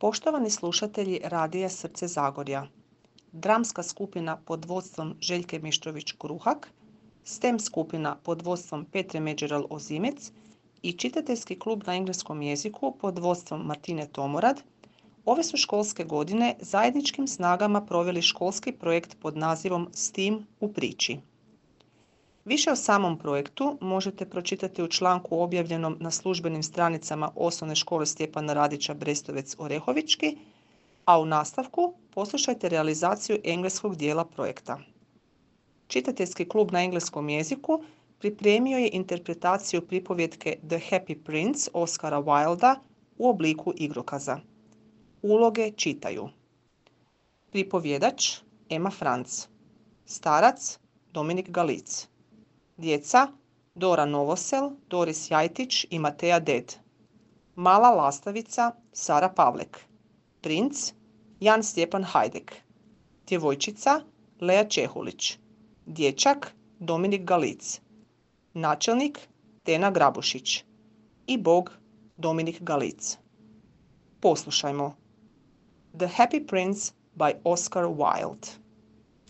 Poštovani slušatelji Radija Srce Zagorja, dramska skupina pod vodstvom Željke Mištrović-Kruhak, STEM skupina pod vodstvom Petre Međeral-Ozimec i čitateljski klub na engleskom jeziku pod vodstvom Martine Tomorad ove su školske godine zajedničkim snagama proveli školski projekt pod nazivom STEAM u priči. Više o samom projektu možete pročitati u članku objavljenom na službenim stranicama Osnovne škole Stjepana Radića Brestovec Orehovički, a u nastavku poslušajte realizaciju engleskog dijela projekta. Čitateljski klub na engleskom jeziku pripremio je interpretaciju pripovjetke The Happy Prince Oscara Wilda u obliku igrokaza. Uloge čitaju pripovjedač Ema Franc, starac Dominik Galic, djeca Dora Novosel, Doris Jajtić i Mateja Ded, mala lastavica Sara Pavlek, princ Jan Stjepan Hajdek, djevojčica Lea Čehulić, dječak Dominik Galic, načelnik Tena Grabušić i bog Dominik Galic. Poslušajmo The Happy Prince by Oscar Wilde.